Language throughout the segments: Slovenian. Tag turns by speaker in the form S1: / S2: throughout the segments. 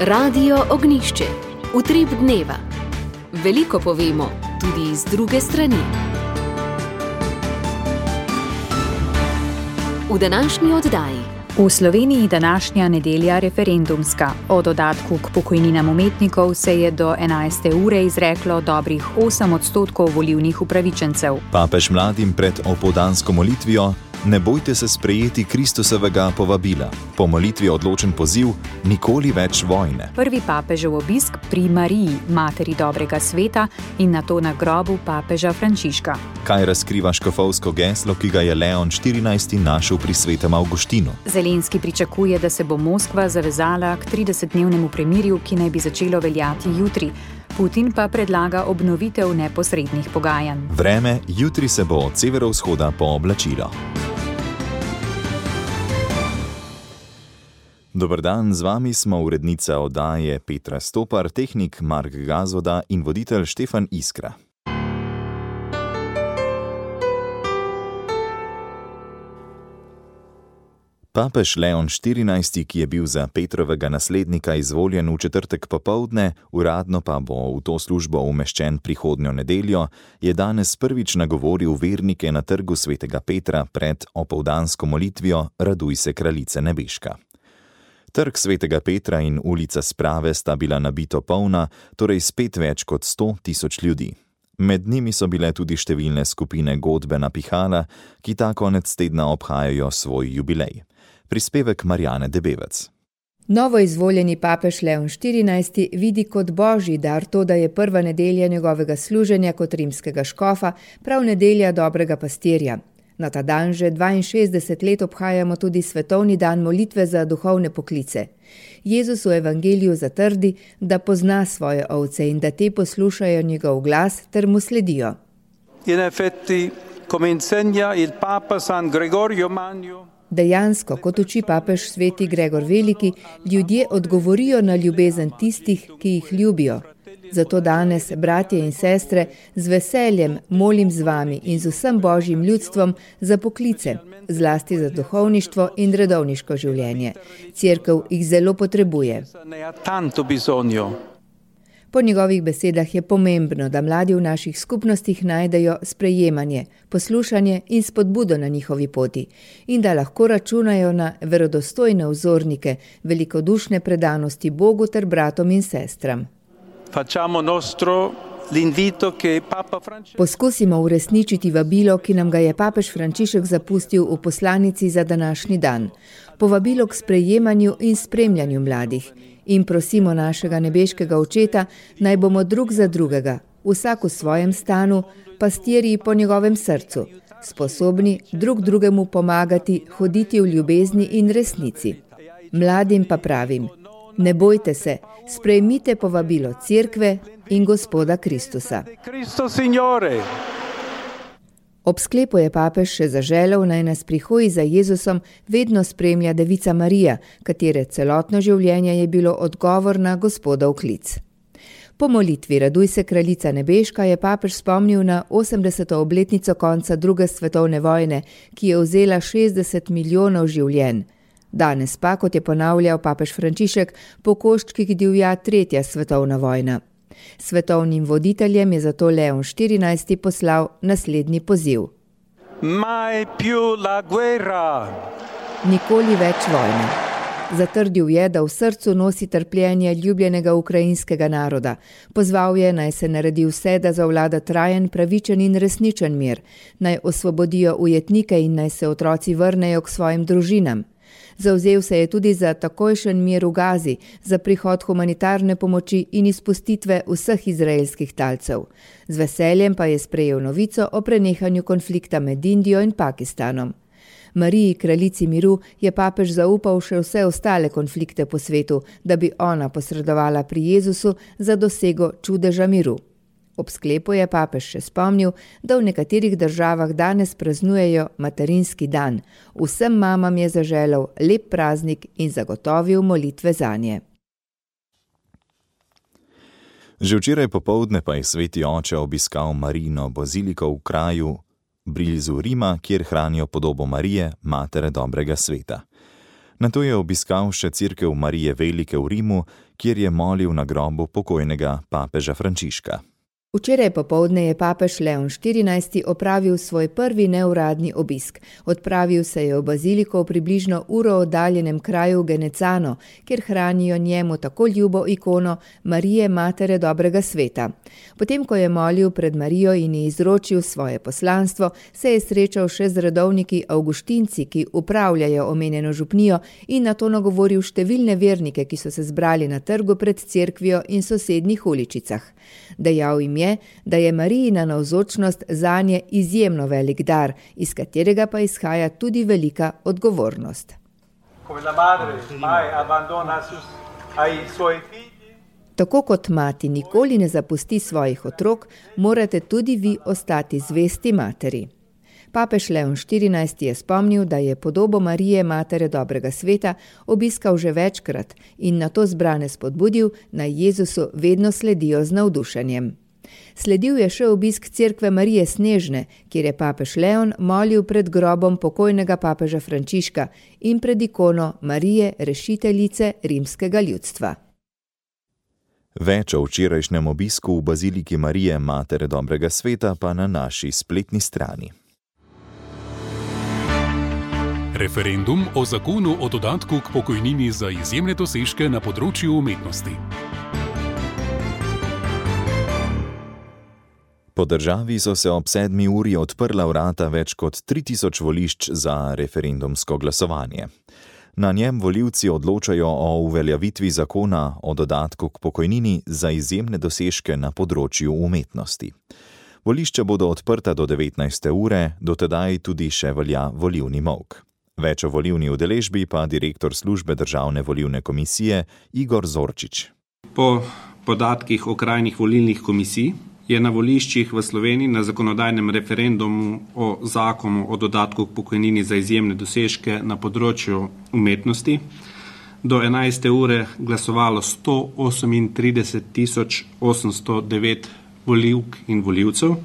S1: Radio Ognjišče. Utrip dneva. Veliko povemo, tudi iz druge strani. V današnji oddaji.
S2: V Sloveniji današnja nedelja referendumska. O dodatku k pokojninam umetnikov se je do 11. ure izreklo dobrih 8% volilnih upravičencev.
S3: Papež mladim pred opoldansko molitvijo: ne bojte se sprejeti Kristusovega povabila. Po molitvi odločen poziv: nikoli več vojne. Prvi papežev obisk pri Mariji, materi dobrega sveta, in nato na grobu papeža Frančiška. Kaj razkriva škofovsko geslo, ki ga je Leon XIV. Našel pri svetem Avguštinu? Zelenski pričakuje, da se bo Moskva zavezala k 30-dnevnemu premirju, ki naj bi začelo veljati jutri. Putin pa predlaga obnovitev neposrednih pogajanj. Vreme, jutri se bo od severovzhoda pooblačilo. Dober dan, z vami smo urednica oddaje Petra Stopar, tehnik Mark Gazvoda in voditelj Štefan Iskra. Papež Leon XIV., ki je bil za Petrovega naslednika izvoljen v četrtek popoldne, uradno pa bo v to službo umeščen prihodnjo nedeljo, je danes prvič nagovoril vernike na trgu svetega Petra pred opoldansko molitvijo Raduj se, kraljice nebeška. Trg svetega Petra in ulica Sprave sta bila nabito polna, torej spet več kot 100.000 ljudi. Med njimi so bile tudi številne skupine godbe na pihala, ki ta konec tedna obhajajo svoj jubilej. Prispevek Marjane Debevec.
S4: Novo izvoljeni papež Leon XIV. Vidi kot božji dar to, da je prva nedelja njegovega služenja kot rimskega škofa prav nedelja dobrega pastirja. Na ta dan že 62 let obhajamo tudi svetovni dan molitve za duhovne poklice. Jezus v evangeliju zatrdi, da pozna svoje ovce in da te poslušajo njegov glas ter mu sledijo.
S5: In effetti, come insegna il Papa San Gregorio Magno,
S4: dejansko, kot uči papež sveti Gregor Veliki, ljudje odgovorijo na ljubezen tistih, ki jih ljubijo. Zato danes, bratje in sestre, z veseljem molim z vami in z vsem božjim ljudstvom za poklice, zlasti za duhovništvo in redovniško življenje. Cerkev jih zelo potrebuje. Po njegovih besedah je pomembno, da mladi v naših skupnostih najdejo sprejemanje, poslušanje in spodbudo na njihovi poti in da lahko računajo na verodostojne vzornike, velikodušne predanosti Bogu ter bratom in sestram. Poskusimo uresničiti vabilo, ki nam ga je papež Frančišek zapustil v poslanici za današnji dan. Povabilo k sprejemanju in spremljanju mladih. In prosimo našega nebeškega očeta, naj bomo drug za drugega, vsak v svojem stanu, pastirji po njegovem srcu, sposobni drug drugemu pomagati, hoditi v ljubezni in resnici. Mladim pa pravim: ne bojte se, sprejmite povabilo Cerkve in Gospoda Kristusa. Ob sklepu je papež še zaželel, naj nas pri hoji za Jezusom vedno spremlja Devica Marija, katere celotno življenje je bilo odgovor na Gospodov klic. Po molitvi Raduj se, kraljica nebeška je papež spomnil na 80. obletnico konca druge svetovne vojne, ki je vzela 60 milijonov življenj. Danes pa, kot je ponavljal papež Frančišek, po koščkih divja tretja svetovna vojna. Svetovnim voditeljem je zato Leon XIV. Poslal naslednji poziv.
S5: Mai più la guerra.
S4: Nikoli več vojne. Zatrdil je, da v srcu nosi trpljenje ljubljenega ukrajinskega naroda. Pozval je, naj se naredi vse, da zavlada trajen, pravičen in resničen mir, naj osvobodijo ujetnike in naj se otroci vrnejo k svojim družinam. Zavzel se je tudi za takojšen mir v Gazi, za prihod humanitarne pomoči in izpustitve vseh izraelskih talcev. Z veseljem pa je sprejel novico o prenehanju konflikta med Indijo in Pakistanom. Mariji, kraljici miru, je papež zaupal še vse ostale konflikte po svetu, da bi ona posredovala pri Jezusu za dosego čudeža miru. Ob sklepu je papež še spomnil, da v nekaterih državah danes praznujejo materinski dan. Vsem mamam je zaželel lep praznik in zagotovil molitve zanje.
S3: Že včeraj popoldne pa je sveti oče obiskal Marijino baziliko v kraju blizu Rima, kjer hranijo podobo Marije, matere dobrega sveta. Nato je obiskal še cerkev Marije Velike v Rimu, kjer je molil na grobu pokojnega papeža Frančiška.
S4: Včeraj popoldne je papež Leon XIV opravil svoj prvi neuradni obisk. Odpravil se je v baziliko v približno uro oddaljenem kraju Genecano, kjer hranijo njemu tako ljubo ikono Marije Matere dobrega sveta. Potem, ko je molil pred Marijo in ji izročil svoje poslanstvo, se je srečal še z redovniki avguštinci, ki upravljajo omenjeno župnijo, in nato nagovoril številne vernike, ki so se zbrali na trgu pred cerkvijo in sosednjih uličicah. Dejal jim je, da je Marijina navzočnost zanje izjemno velik dar, iz katerega pa izhaja tudi velika odgovornost. Tako kot mati nikoli ne zapusti svojih otrok, morate tudi vi ostati zvesti materi. Papež Leon XIV je spomnil, da je podobo Marije Matere dobrega sveta obiskal že večkrat in nato zbrane spodbudil, naj Jezusu vedno sledijo z navdušenjem. Sledil je še obisk cerkve Marije Snežne, kjer je papež Leon molil pred grobom pokojnega papeža Frančiška in pred ikono Marije rešiteljice rimskega ljudstva.
S3: Več o včerajšnjem obisku v baziliki Marije Matere dobrega sveta pa na naši spletni strani.
S6: Referendum o zakonu o dodatku k pokojnini za izjemne dosežke na področju umetnosti.
S3: Po državi so se ob 7. uri odprla vrata več kot 3000 volišč za referendumsko glasovanje. Na njem volivci odločajo o uveljavitvi zakona o dodatku k pokojnini za izjemne dosežke na področju umetnosti. Volišča bodo odprta do 19. ure, do tedaj tudi še velja volilni molk. Več o volilni udeležbi pa direktor službe Državne volilne komisije Igor Zorčič.
S7: Po podatkih okrajnih volilnih komisij je na voliščih v Sloveniji na zakonodajnem referendumu o zakonu o dodatku k pokojnini za izjemne dosežke na področju umetnosti do 11. ure glasovalo 138.809 volivk in volivcev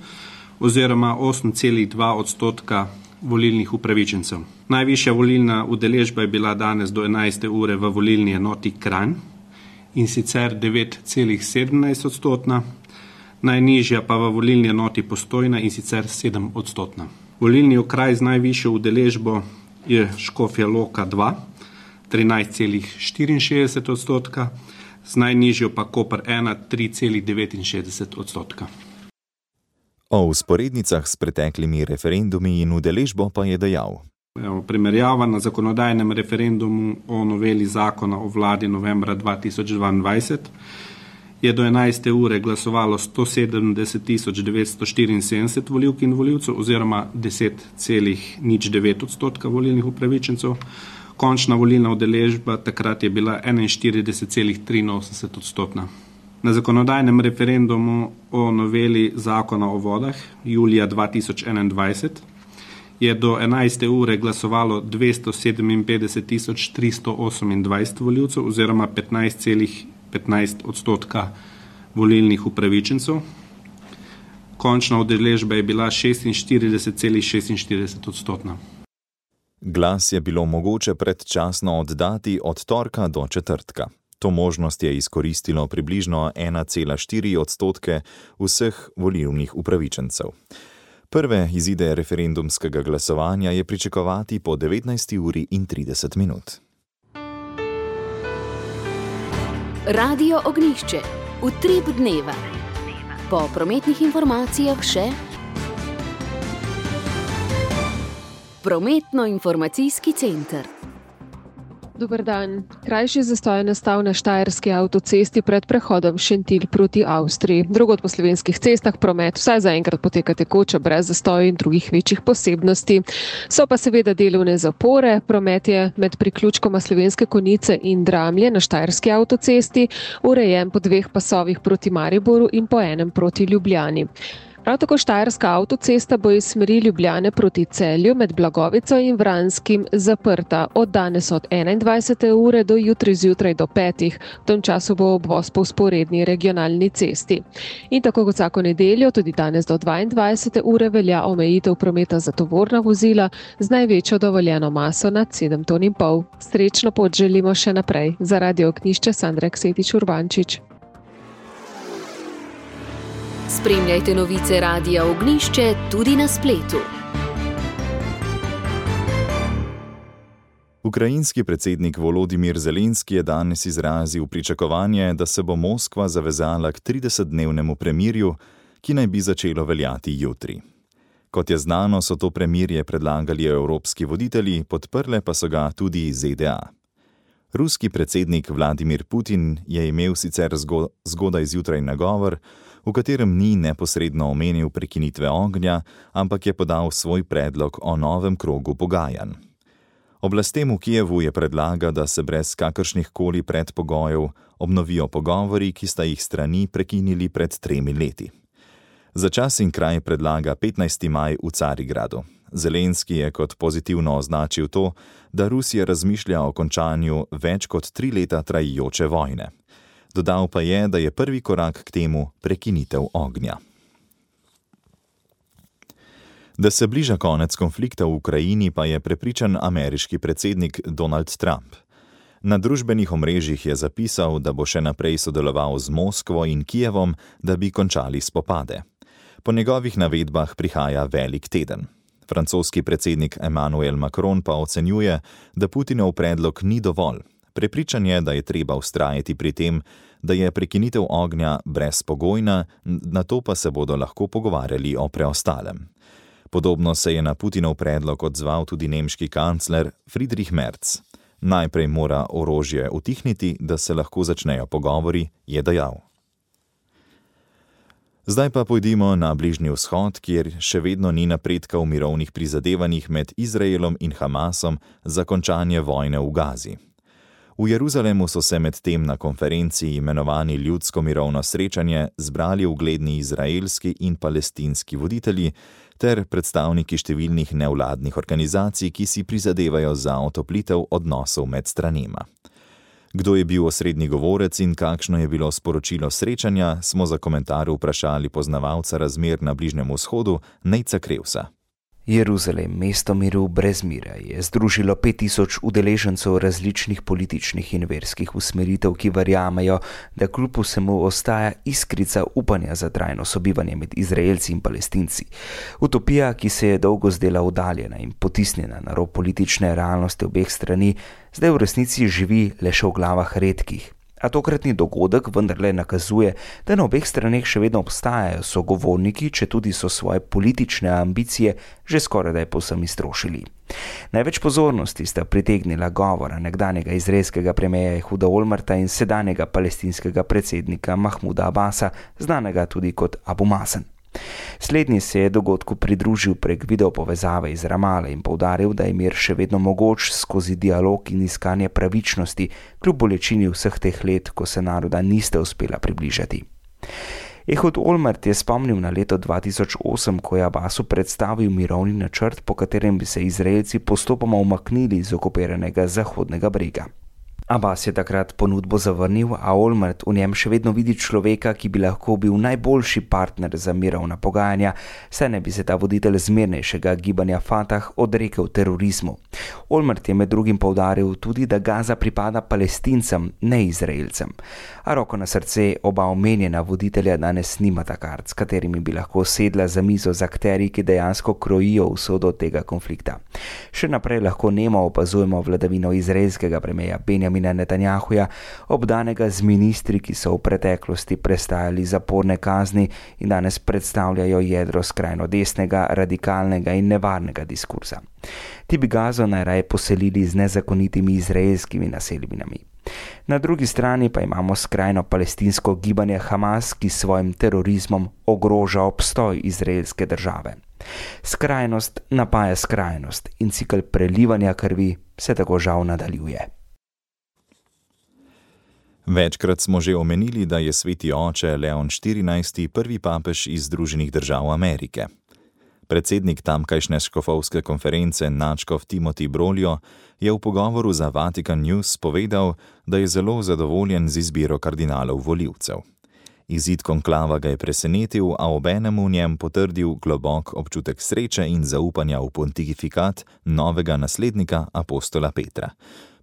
S7: oziroma 8,2% volilnih upravičencev. Najvišja volilna udeležba je bila danes do 11. ure v volilni enoti Kranj in sicer 9,17%, najnižja pa v volilni enoti Postojna in sicer 7%. Volilni okraj z najvišjo udeležbo je Škofja Loka 2, 13,64%, z najnižjo pa Koper 1, 3,69%.
S3: O vzporednicah s preteklimi referendumi in udeležbo pa je dejal.
S7: Primerjava na zakonodajnem referendumu o noveli zakona o vladi novembra 2022 je do 11. ure glasovalo 170.974 volivk in volivcev oziroma 10,09% volilnih upravičencev. Končna volilna udeležba takrat je bila 41,83%. Na zakonodajnem referendumu o noveli zakona o vodah julija 2021 je do 11. ure glasovalo 257.328 volivcev oziroma 15,15% volilnih upravičencev. Končna udeležba je bila 46,46%.
S3: Glas je bilo mogoče predčasno oddati od torka do četrtka. To možnost je izkoristilo približno 1,4% vseh volilnih upravičencev. Prve izide referendumskega glasovanja je pričakovati po 19:30.
S1: Radio Ognjišče. Utrip dneva. Po prometnih informacijah še Prometno-informacijski center.
S8: Dober dan. Krajši zastoj je nastal na štajerski avtocesti pred prehodom Šentilj proti Avstriji. Drugod po slovenskih cestah promet vsaj zaenkrat poteka tekoče, brez zastojev in drugih večjih posebnosti. So pa seveda delovne zapore. Promet je med priključkoma Slovenske Konjice in Dramlje na štajerski avtocesti urejen po 2 pasovih proti Mariboru in po enem proti Ljubljani. Prav tako štajerska avtocesta bo iz smeri Ljubljane proti Celju med Blagovico in Vranskim zaprta od danes od 21. ure do jutri zjutraj do 5. V tem času bo obvoz po vzporedni regionalni cesti. In tako kot vsako nedeljo, tudi danes do 22. ure velja omejitev prometa za tovorna vozila z največjo dovoljeno maso nad 7,5 ton. Srečno pot želimo še naprej. Za Radio Ognjišče Sandra Ksetič Urbančič.
S1: Spremljajte novice Radia Ognjišče tudi na spletu.
S3: Ukrajinski predsednik Volodimir Zelenski je danes izrazil pričakovanje, da se bo Moskva zavezala k 30-dnevnemu premirju, ki naj bi začelo veljati jutri. Kot je znano, so to premirje predlagali evropski voditelji, podprle pa so ga tudi ZDA. Ruski predsednik Vladimir Putin je imel sicer zgodaj zjutraj nagovor, v katerem ni neposredno omenil prekinitve ognja, ampak je podal svoj predlog o novem krogu pogajanj. Oblastem v Kijevu je predlagal, da se brez kakršnih koli predpogojev obnovijo pogovori, ki sta jih strani prekinili pred 3 leti. Za čas in kraj predlaga 15. maj v Carigradu. Zelenski je kot pozitivno označil to, da Rusija razmišlja o končanju več kot 3 leta trajajoče vojne. Dodal pa je, da je prvi korak k temu prekinitev ognja. Da se bliža konec konflikta v Ukrajini, pa je prepričan ameriški predsednik Donald Trump. Na družbenih omrežjih je zapisal, da bo še naprej sodeloval z Moskvo in Kijevom, da bi končali spopade. Po njegovih navedbah prihaja velik teden. Francoski predsednik Emmanuel Macron pa ocenjuje, da Putinov predlog ni dovolj. Prepričan je, da je treba vztrajati pri tem, da je prekinitev ognja brezpogojna, nato pa se bodo lahko pogovarjali o preostalem. Podobno se je na Putinov predlog odzval tudi nemški kancler Friedrich Merz. Najprej mora orožje utihniti, da se lahko začnejo pogovori, je dejal. Zdaj pa pojdimo na Bližnji vzhod, kjer še vedno ni napredka v mirovnih prizadevanjih med Izraelom in Hamasom za končanje vojne v Gazi. V Jeruzalemu so se med tem na konferenci imenovani ljudsko mirovno srečanje zbrali ugledni izraelski in palestinski voditelji ter predstavniki številnih nevladnih organizacij, ki si prizadevajo za otoplitev odnosov med stranema. Kdo je bil osrednji govorec in kakšno je bilo sporočilo srečanja, smo za komentar vprašali poznavalca razmer na Bližnjem vzhodu Nejca Krevsa.
S9: Jeruzalem, mesto miru brez mira, je združilo 5000 udeležencev različnih političnih in verskih usmeritev, ki verjamejo, da kljub vsemu ostaja iskrica upanja za trajno sobivanje med Izraelci in Palestinci. Utopija, ki se je dolgo zdela oddaljena in potisnjena na rob politične realnosti obeh strani, zdaj v resnici živi le še v glavah redkih. A tokratni dogodek vendarle nakazuje, da na obeh straneh še vedno obstajajo sogovorniki, četudi so svoje politične ambicije že skorajda povsem iztrošili. Največ pozornosti sta pritegnila govora nekdanjega izraelskega premierja Ehuda Olmerta in sedanjega palestinskega predsednika Mahmuda Abasa, znanega tudi kot Abu Mazen. Slednji se je dogodku pridružil prek videopovezave iz Ramale in poudaril, da je mir še vedno mogoč skozi dialog in iskanje pravičnosti, kljub bolečini vseh teh let, ko se naroda niste uspela približati. Ehud Olmert je spomnil na leto 2008, ko je Abbasu predstavil mirovni načrt, po katerem bi se Izraelci postopoma umaknili iz okupiranega Zahodnega brega. Abbas je takrat ponudbo zavrnil, a Olmert v njem še vedno vidi človeka, ki bi lahko bil najboljši partner za mirovna pogajanja, saj ne bi se ta voditelj zmernejšega gibanja Fatah odrekel terorizmu. Olmert je med drugim poudaril tudi, da Gaza pripada Palestincem, ne Izraelcem. A roko na srce, oba omenjena voditelja danes nimata kart, s katerimi bi lahko sedla za mizo z akterji, ki dejansko krojijo usodo tega konflikta. Še naprej lahko nemo opazujemo vladavino izraelskega premierja Benjamina Netanjahuja, obdanega z ministri, ki so v preteklosti prestajali zaporne kazni in danes predstavljajo jedro skrajno desnega, radikalnega in nevarnega diskurza. Ti bi Gazo najraje poselili z nezakonitimi izraelskimi naselbinami. Na drugi strani pa imamo skrajno palestinsko gibanje Hamas, ki s svojim terorizmom ogroža obstoj izraelske države. Skrajnost napaja skrajnost in cikel prelivanja krvi se tako žal nadaljuje.
S3: Večkrat smo že omenili, da je sveti oče Leon XIV. Prvi papež iz Združenih držav Amerike. Predsednik tamkajšnje škofovske konference nadškof Timothy Broglio je v pogovoru za Vatican News povedal, da je zelo zadovoljen z izbiro kardinalov volivcev. Izid konklava ga je presenetil, a obenem v njem potrdil globok občutek sreče in zaupanja v pontifikat novega naslednika apostola Petra.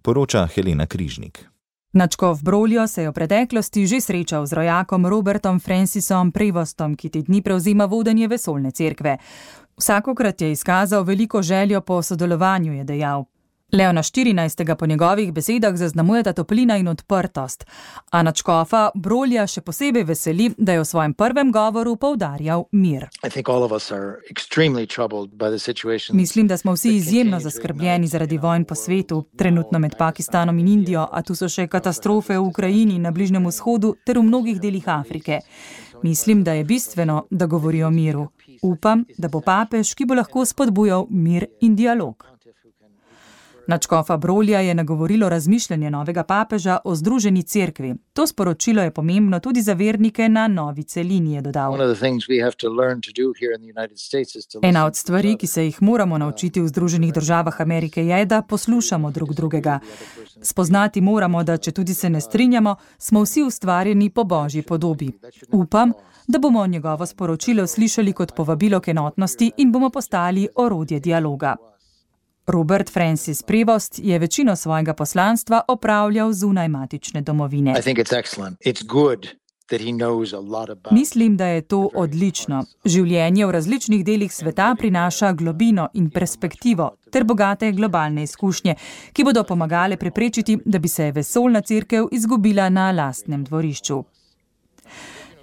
S3: Poroča Helena Križnik.
S10: Nadškof Broglio se je v preteklosti že srečal z rojakom Robertom Francisom Prevostom, ki te dni prevzema vodenje vesoljne cerkve. Vsakokrat je izkazal veliko željo po sodelovanju, je dejal. Leona XIV. Po njegovih besedah zaznamujeta toplina in odprtost, a nadškofa Broglija še posebej veseli, da je v svojem prvem govoru poudarjal mir. Mislim, da smo vsi izjemno zaskrbljeni zaradi vojn po svetu, trenutno med Pakistanom in Indijo, a tu so še katastrofe v Ukrajini, na Bližnjem vzhodu ter v mnogih delih Afrike. Mislim, da je bistveno, da govori o miru. Upam, da bo papež, ki bo lahko spodbujal mir in dialog. Nadškofa Broglija je nagovorilo razmišljanje novega papeža o združeni cerkvi. To sporočilo je pomembno tudi za vernike na novi celini, je dodal. Ena od stvari, ki se jih moramo naučiti v Združenih državah Amerike, je, da poslušamo drug drugega. Spoznati moramo, da če tudi se ne strinjamo, smo vsi ustvarjeni po Božji podobi. Upam, da bomo njegovo sporočilo slišali kot povabilo k enotnosti in bomo postali orodje dialoga. Robert Francis Prevost je večino svojega poslanstva opravljal zunaj matične domovine. Mislim, da je to odlično. Življenje v različnih delih sveta prinaša globino in perspektivo ter bogate globalne izkušnje, ki bodo pomagale preprečiti, da bi se vesoljna cerkev izgubila na lastnem dvorišču.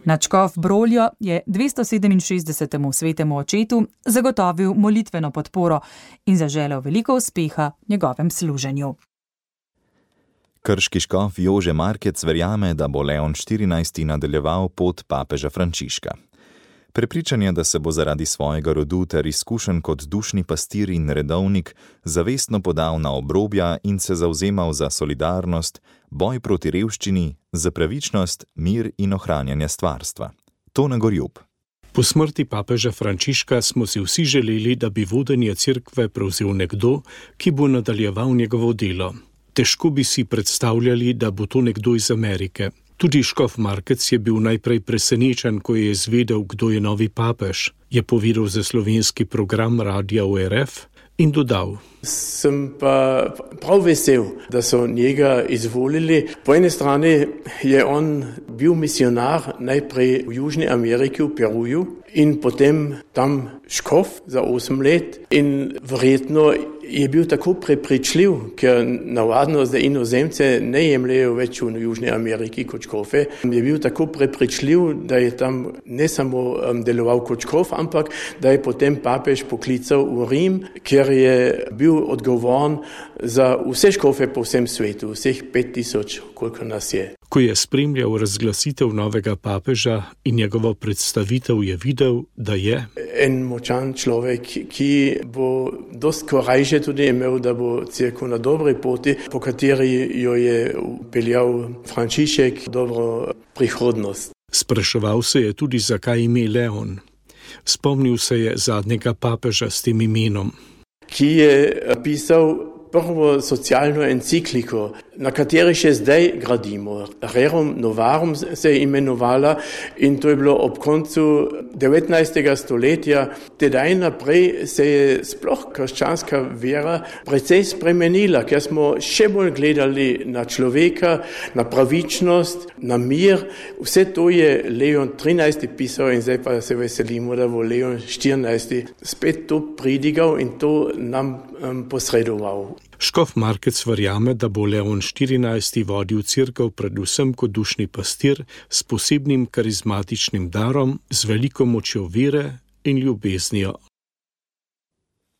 S10: Nadškof Broglio je 267. svetemu očetu zagotovil molitveno podporo in zaželel veliko uspeha njegovem služenju.
S3: Krški škof Jože Markec verjame, da bo Leon XIV. Nadaljeval pot papeža Frančiška. Prepričan je, da se bo zaradi svojega rodu ter izkušenj kot dušni pastir in redovnik zavestno podal na obrobja in se zavzemal za solidarnost, boj proti revščini, za pravičnost, mir in ohranjanje stvarstva. Tone Gorjub.
S11: Po smrti papeža Frančiška smo si vsi želeli, da bi vodenje cerkve prevzel nekdo, ki bo nadaljeval njegovo delo. Težko bi si predstavljali, da bo to nekdo iz Amerike. Tudi škof Markec je bil najprej presenečen, ko je izvedel, kdo je novi papež. Je povedal za slovenski program Radia ORF in dodal.
S12: Sem pa prav vesel, da so njega izvolili. Po eni strani je on bil misionar najprej v Južni Ameriki, v Peruju, in potem tam škof za 8 let in verjetno je bil tako prepričljiv, ker navadno zdaj inozemce ne jemljejo več v Južni Ameriki kot škofe. Je bil tako prepričljiv, da je tam ne samo deloval kot škof, ampak da je potem papež poklical v Rim, ker je bil odgovoren za vse škofe po vsem svetu, vseh 5000, koliko nas je.
S11: Ko je spremljal razglasitev novega papeža in njegovo predstavitev, je videl, da je
S12: en močan človek, ki bo dosti korajže tudi imel, da bo cerkev na dobri poti, po kateri jo je peljal Frančišek, dobro prihodnost.
S11: Spraševal se je tudi, zakaj ime Leon. Spomnil se je zadnjega papeža s tem imenom,
S12: ki je pisal prvo socialno encikliko, na kateri še zdaj gradimo. Rerum Novarum se je imenovala in to je bilo ob koncu 19. stoletja. Tedaj naprej se je sploh krščanska vera precej spremenila, ker smo še bolj gledali na človeka, na pravičnost, na mir. Vse to je Leon XIII. Pisal in zdaj pa se veselimo, da bo Leon XIV. Spet to pridigal in to nam posredoval.
S11: Škof Markec verjame, da bo Leon XIV. Vodil cerkev predvsem kot dušni pastir s posebnim karizmatičnim darom, z veliko močjo vere in ljubeznijo.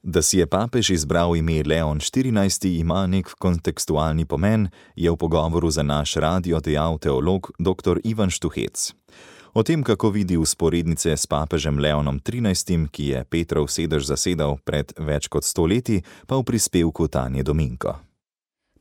S3: Da si je papež izbral ime Leon XIV. Ima nek kontekstualni pomen, je v pogovoru za naš radio dejal teolog dr. Ivan Štuhec. O tem, kako vidi vzporednice s papežem Leonom XIII., ki je Petrov sedež zasedal pred več kot 100 leti, pa v prispevku Tanje Dominko.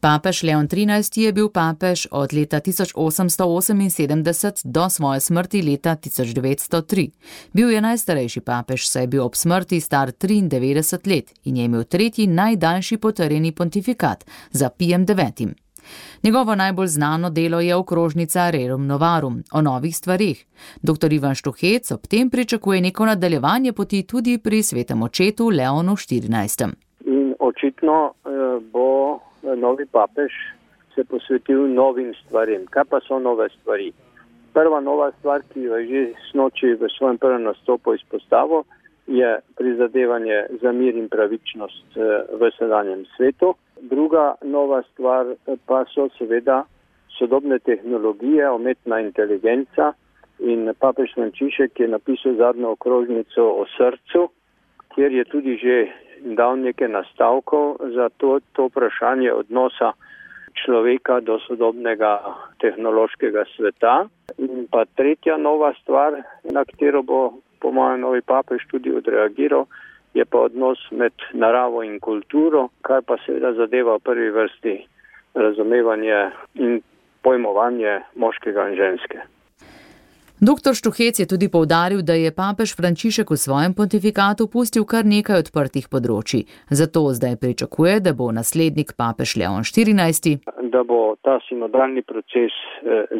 S13: Papež Leon XIII je bil papež od leta 1878 do svoje smrti leta 1903. Bil je najstarejši papež, saj je bil ob smrti star 93 let in je imel tretji najdaljši potrjeni pontifikat za Pijem IX. Njegovo najbolj znano delo je okrožnica Rerum Novarum o novih stvareh. Dr. Ivan Štuhec ob tem pričakuje neko nadaljevanje poti tudi pri svetem očetu Leonu XIV.
S14: In očitno bo novi papež se posvetil novim stvarem. Kaj pa so nove stvari? Prva nova stvar, ki jo je že snoči v svojem prvem nastopu izpostavil, je prizadevanje za mir in pravičnost v sedanjem svetu. Druga nova stvar pa so seveda sodobne tehnologije, umetna inteligenca in papež Frančišek je napisal zadnjo okrožnico o srcu, kjer je tudi že dal nekaj nastavkov za to vprašanje odnosa človeka do sodobnega tehnološkega sveta. In pa tretja nova stvar, na katero bo po mojem novi papež tudi odreagiral, je pa odnos med naravo in kulturo, kar pa seveda zadeva v prvi vrsti razumevanje in pojmovanje moškega in ženske.
S13: Dr. Štuhec je tudi poudaril, da je papež Frančišek v svojem pontifikatu pustil kar nekaj odprtih področij. Zato zdaj pričakuje, da bo naslednik papež Leon XIV.
S14: Da bo ta sinodalni proces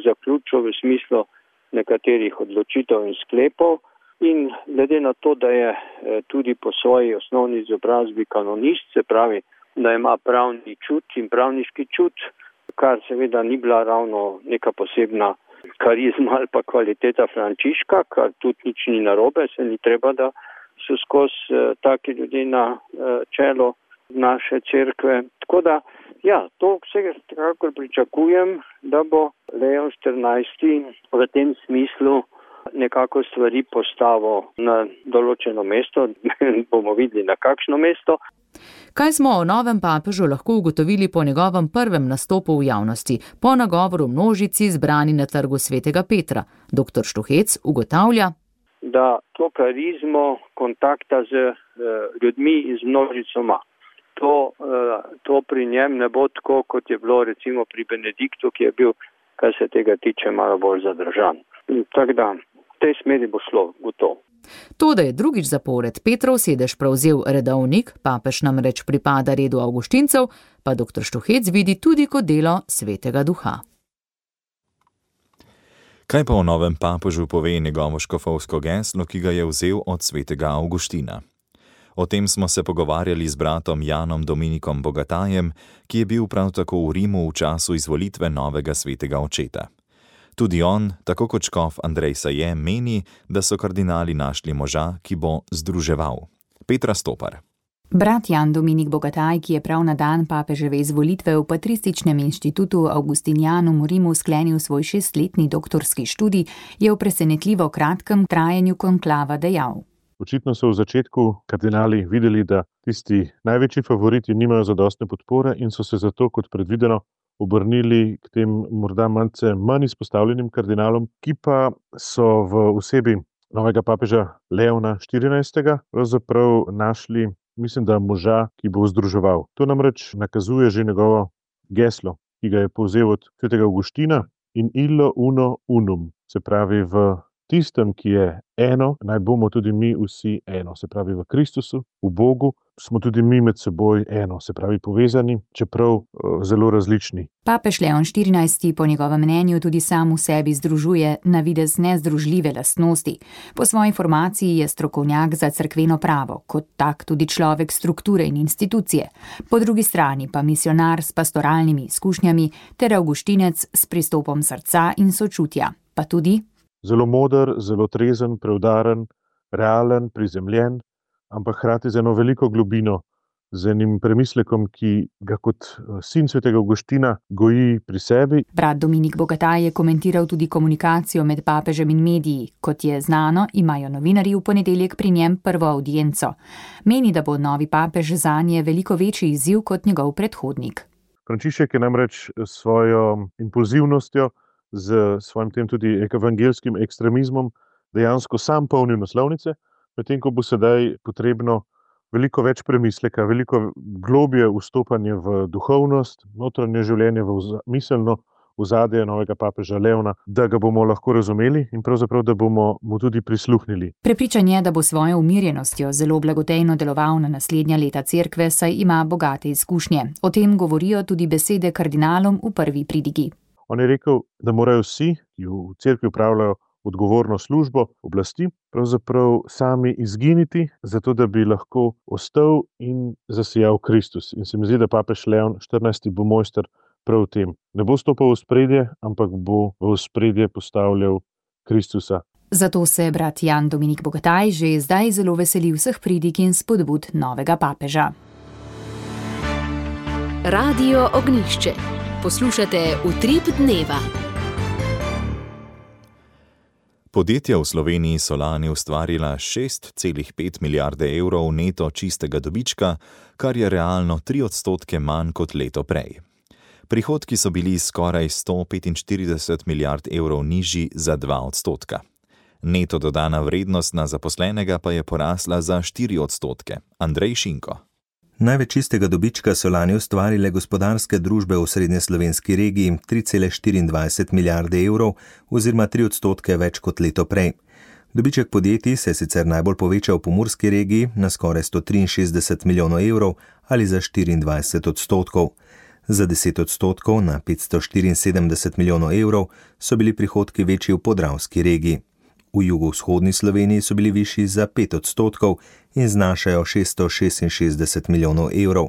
S14: zaključil v smislu nekaterih odločitev in sklepov in glede na to, da je tudi po svoji osnovni izobrazbi kanonist, se pravi, da ima pravni čut in pravniški čut, kar seveda ni bila ravno neka posebna karizma ali pa kvaliteta Frančiška, kar tudi nič ni narobe, se ni treba, da so skozi taki ljudje na čelo naše cerkve. Tako da, ja, to vse kakor pričakujem, da bo Leon XIV v tem smislu nekako stvari postavil na določeno mesto, bomo videli na kakšno mesto.
S13: Kaj smo o novem papežu lahko ugotovili po njegovem prvem nastopu v javnosti, po nagovoru množici zbrani na trgu Svetega Petra? Dr. Štuhec ugotavlja,
S14: da to karizmo kontakta z ljudmi in z množicoma, to pri njem ne bo tako, kot je bilo recimo pri Benediktu, ki je bil, kar se tega tiče, malo bolj zadržan. Tako da, v tej smeri bo šlo gotovo.
S13: To, da je drugič zapored Petrov sedež prevzel redovnik, papež namreč pripada redu avguštincev, pa dr. Štuhec vidi tudi kot delo Svetega Duha.
S3: Kaj pa o novem papežu pove njegovo škofovsko geslo, ki ga je vzel od svetega Avguština? O tem smo se pogovarjali z bratom Janom Dominikom Bogatajem, ki je bil prav tako v Rimu v času izvolitve novega svetega očeta. Tudi on, tako kot škof Andrej Saje, meni, da so kardinali našli moža, ki bo združeval. Petra Stopar.
S2: Brat Jan Dominik Bogataj, ki je prav na dan papeževe izvolitve v Patrističnem inštitutu Augustinianum v Rimu sklenil svoj 6-letni doktorski študij, je v presenetljivo kratkem trajanju konklava dejal.
S15: Očitno so v začetku kardinali videli, da tisti največji favoriti nimajo zadostne podpore in so se zato, kot predvideno, obrnili k tem morda malce manj izpostavljenim kardinalom, ki pa so v osebi novega papeža Leona XIV. Pravzaprav našli, mislim, da moža, ki bo združeval. To namreč nakazuje že njegovo geslo, ki ga je povzel od svetega Avguština, in illo uno unum, se pravi v tistem, ki je eno, naj bomo tudi mi vsi eno, se pravi v Kristusu, v Bogu, smo tudi mi med seboj eno, se pravi povezani, čeprav zelo različni.
S2: Papež Leon XIV. Po njegovem mnenju tudi sam v sebi združuje na videz nezdružljive lastnosti. Po svoji formaciji je strokovnjak za cerkveno pravo, kot tak tudi človek strukture in institucije. Po drugi strani pa misionar s pastoralnimi izkušnjami ter avguštinec s pristopom srca in sočutja, pa tudi
S15: zelo moder, zelo trezen, preudaren, realen, prizemljen, ampak hkrati z eno veliko globino, z enim premislekom, ki ga kot sin svetega Avguština goji pri sebi.
S2: Brat Dominik Bogataj je komentiral tudi komunikacijo med papežem in mediji. Kot je znano, imajo novinarji v ponedeljek pri njem prvo avdienco. Meni, da bo novi papež zanje veliko večji izziv kot njegov predhodnik.
S15: Frančišek je namreč s svojo impulzivnostjo, z svojim tem tudi evangelskim ekstremizmom dejansko sam polnil naslovnice, medtem ko bo sedaj potrebno veliko več premisleka, veliko globje vstopanje v duhovnost, notranje življenje, v miselno ozadje novega papeža Leona, da ga bomo lahko razumeli in pravzaprav, da bomo mu tudi prisluhnili.
S2: Prepričan je, da bo svojo umirjenostjo zelo blagotejno deloval na naslednja leta cerkve, saj ima bogate izkušnje. O tem govorijo tudi besede kardinalom v prvi pridigi.
S15: On je rekel, da morajo vsi, ki v cerkvi upravljajo odgovorno službo oblasti, pravzaprav sami izginiti, zato da bi lahko ostal in zasijal Kristus. In se mi zdi, da papež Leon 14. bo mojster prav v tem. Ne bo stopal v ospredje, ampak bo v ospredje postavljal Kristusa.
S2: Zato se brat Jan Dominik Bogataj že zdaj zelo veseli vseh pridig in spodbud novega papeža.
S1: Radio Ognjišče. Poslušate Utrip dneva.
S3: Podjetja v Sloveniji so lani ustvarila 6,5 milijarde evrov neto čistega dobička, kar je realno 3% manj kot leto prej. Prihodki so bili skoraj 145 milijard evrov nižji za 2%. Neto dodana vrednost na zaposlenega pa je porasla za 4%. Andrej Šinko.
S16: Največ čistega dobička so lani ustvarile gospodarske družbe v srednjeslovenski regiji 3,24 milijarde evrov oziroma 3% več kot leto prej. Dobiček podjetij se je sicer najbolj povečal v pomurski regiji na skoraj 163 milijonov evrov ali za 24%. Za 10% na 574 milijonov evrov so bili prihodki večji v podravski regiji. V jugovzhodni Sloveniji so bili višji za 5% in znašajo 666 milijonov evrov.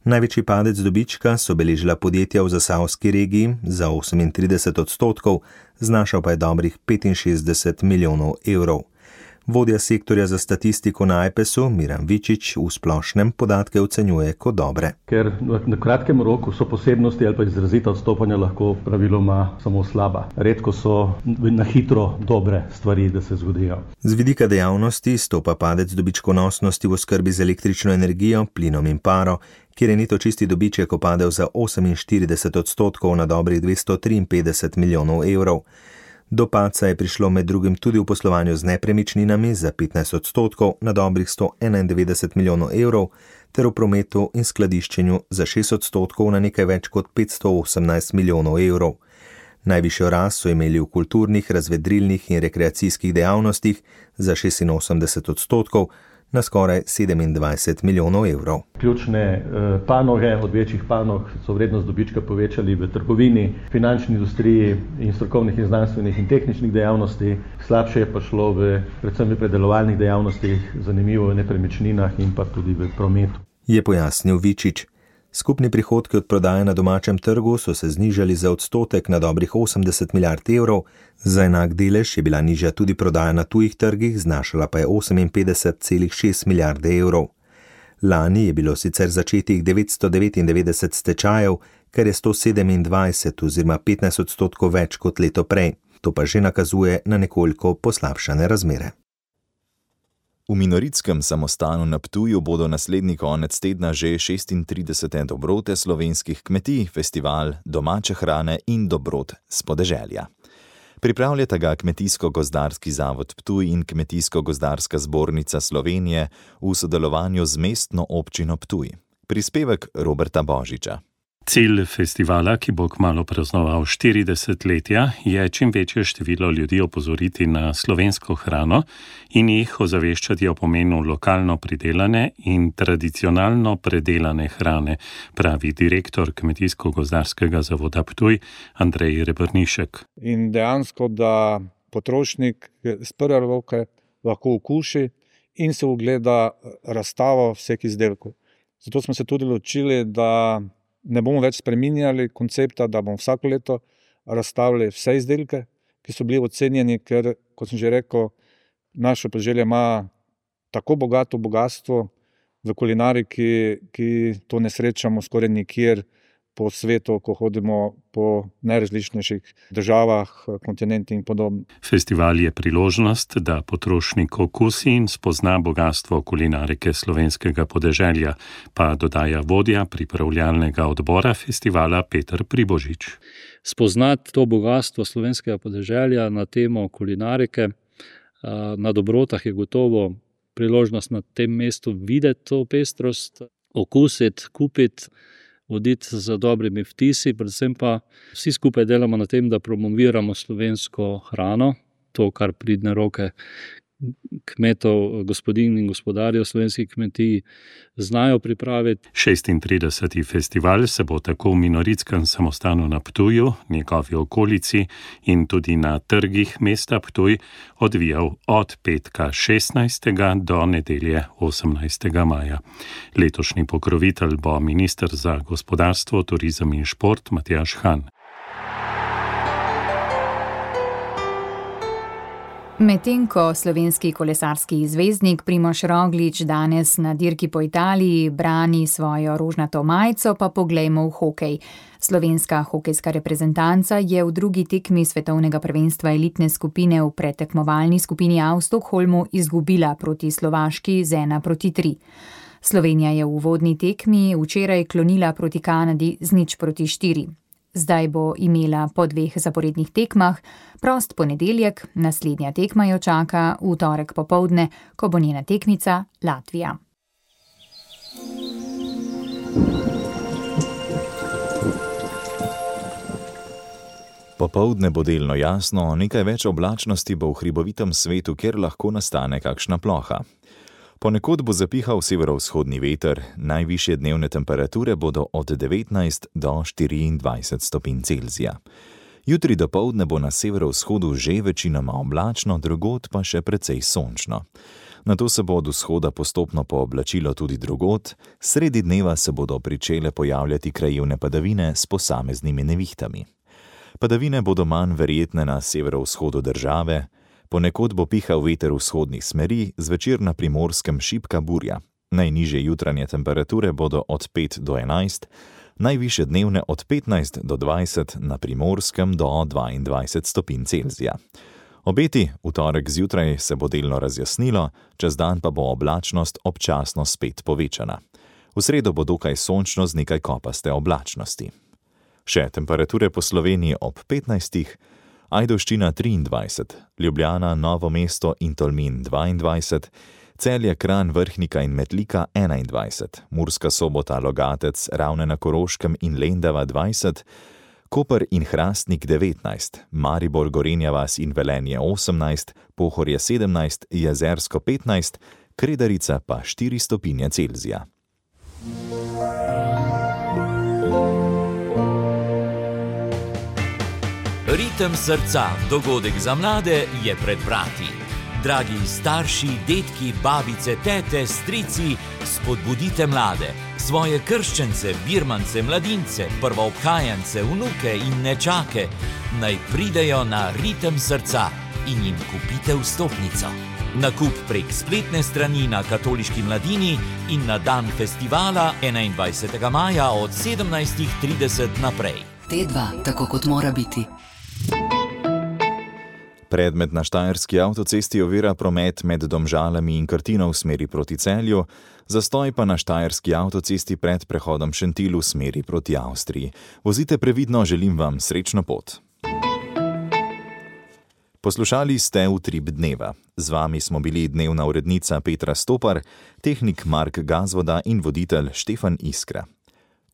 S16: Največji padec dobička so beležila podjetja v zasavski regiji za 38%, znašal pa je dobrih 65 milijonov evrov. Vodja sektorja za statistiko na AJPES-u, Miran Vičič, v splošnem podatke ocenjuje kot dobre.
S17: Ker na kratkem roku so posebnosti ali pa izrazita odstopanja lahko praviloma samo slaba. Redko so na hitro dobre stvari, da se zgodijo.
S16: Z vidika dejavnosti stopa padec dobičkonosnosti v oskrbi z električno energijo, plinom in paro, kjer je neto čisti dobiček opadel za 48% na dobrih 253 milijonov evrov. Do padca je prišlo med drugim tudi v poslovanju z nepremičninami za 15% na dobrih 191 milijonov evrov ter v prometu in skladiščenju za 6% na nekaj več kot 518 milijonov evrov. Najvišjo rast so imeli v kulturnih, razvedrilnih in rekreacijskih dejavnostih za 86% na skoraj 27 milijonov evrov.
S17: Ključne panoge od večjih panog so vrednost dobička povečali v trgovini, finančni industriji in strokovnih in znanstvenih in tehničnih dejavnosti. Slabše je pa šlo predvsem v predelovalnih dejavnostih, zanimivo v nepremičninah in pa tudi v prometu.
S16: Je pojasnil Vičič. Skupni prihodki od prodaje na domačem trgu so se znižali za odstotek na dobrih 80 milijard evrov, za enak delež je bila nižja tudi prodaja na tujih trgih, znašala pa je 58,6 milijarde evrov. Lani je bilo sicer začetih 999 stečajev, kar je 127 oziroma 15% več kot leto prej. To pa že nakazuje na nekoliko poslabšane razmere.
S3: V Minoritskem samostanu na Ptuju bodo naslednji konec tedna že 36. dobrote slovenskih kmetij, festival domače hrane in dobrot s podeželja. Pripravljata ga Kmetijsko-gozdarski zavod Ptuj in Kmetijsko-gozdarska zbornica Slovenije v sodelovanju z mestno občino Ptuj. Prispevek Roberta Božiča.
S18: Cilj festivala, ki bo kmalu praznoval 40-letja, je čim večje število ljudi opozoriti na slovensko hrano in jih ozaveščati o pomenu lokalno pridelane in tradicionalno predelane hrane, pravi direktor Kmetijsko-gozdarskega zavoda Ptuj Andrej Rebrnišek.
S19: In dejansko, da potrošnik z prve roke lahko okuši in se ogleda razstavo vseh izdelkov. Zato smo se tudi odločili, da ne bomo več spreminjali koncepta, da bomo vsako leto razstavili vse izdelke, ki so bili ocenjeni, ker, kot sem že rekel, naše podeželje ima tako bogato bogatstvo v kulinariki, ki to ne srečamo skoraj nikjer po svetu, ko hodimo po najrazličnejših državah, kontinentih in podobno.
S18: Festival je priložnost, da potrošnik okusi in spozna bogatstvo kulinarike slovenskega podeželja, pa dodaja vodja pripravljalnega odbora festivala Peter Pribožič.
S20: Spoznati to bogatstvo slovenskega podeželja na temo kulinarike na dobrotah je gotovo priložnost na tem mestu videti to pestrost, okusiti, kupiti, voditi za dobrimi vtisi, predvsem pa vsi skupaj delamo na tem, da promoviramo slovensko hrano, to, kar pridne roke kmetov, gospodinj in gospodarjev slovenskih kmetij znajo pripraviti.
S18: 36. festival se bo tako v Minoritskem samostanu na Ptuju, njegovi okolici in tudi na trgih mesta Ptuj odvijal od petka 16. do nedelje 18. maja. Letošnji pokrovitelj bo minister za gospodarstvo, turizem in šport Matjaž Han.
S2: Medtem ko slovenski kolesarski zvezdnik Primož Roglič danes na dirki po Italiji brani svojo rožnato majico, pa poglejmo v hokej. Slovenska hokejska reprezentanca je v drugi tekmi svetovnega prvenstva elitne skupine v predtekmovalni skupini A v Stockholmu izgubila proti Slovaški z 1-3. Slovenija je v uvodni tekmi včeraj klonila proti Kanadi z 0-4. Zdaj bo imela po 2 zaporednih tekmah prost ponedeljek, naslednja tekma jo čaka v torek popoldne, ko bo njena tekmica Latvija.
S3: Popoldne bo delno jasno, nekaj več oblačnosti bo v hribovitem svetu, kjer lahko nastane kakšna ploha. Ponekod bo zapihal severovzhodni veter, najvišje dnevne temperature bodo od 19 do 24 stopinj Celzija. Jutri dopoldne bo na severovzhodu že večinoma oblačno, drugod pa še precej sončno. Nato se bo od vzhoda postopno pooblačilo tudi drugod, sredi dneva se bodo pričele pojavljati krajevne padavine s posameznimi nevihtami. Padavine bodo manj verjetne na severovzhodu države, ponekod bo pihal veter vzhodnih smeri, zvečer na Primorskem šibka burja. Najnižje jutranje temperature bodo od 5 do 11, najvišje dnevne od 15 do 20, na Primorskem do 22 stopinj Celzija. Obeti, v torek zjutraj se bo delno razjasnilo, čez dan pa bo oblačnost občasno spet povečana. V sredo bo dokaj sončno z nekaj kopaste oblačnosti. Še temperature po Sloveniji ob 15, Ajdovščina 23, Ljubljana, Novo mesto in Tolmin 22, Celje, Kranj, Vrhnika in Metlika 21, Murska Sobota, Logatec, Ravne na Koroškem in Lendava 20, Koper in Hrastnik 19, Maribor, Gorenja vas in Velenje 18, Pohorje 17, Jezersko 15, Kredarica pa 4 stopinje Celzija.
S21: Ritem srca, dogodek za mlade je pred vrati. Dragi starši, detki, babice, tete, strici, spodbudite mlade, svoje krščence, birmance, mladince, prvoobhajance, vnuke in nečake, naj pridejo na Ritem srca in jim kupite vstopnico. Nakup prek spletne strani na Katoliški mladini in na dan festivala 21. maja od 17:30 naprej.
S1: T2, tako kot mora biti.
S3: Predmet na štajerski avtocesti ovira promet med Domžalami in Krtino v smeri proti Celju, zastoj pa na štajerski avtocesti pred prehodom Šentilj v smeri proti Avstriji. Vozite previdno, želim vam srečno pot. Poslušali ste Utrip dneva. Z vami smo bili dnevna urednica Petra Stopar, tehnik Mark Gazvoda in voditelj Štefan Iskra.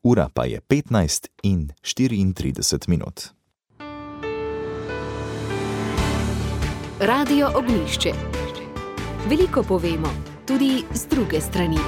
S3: Ura pa je 15:34.
S1: Radio Ognjišče. Veliko povemo, tudi z druge strani.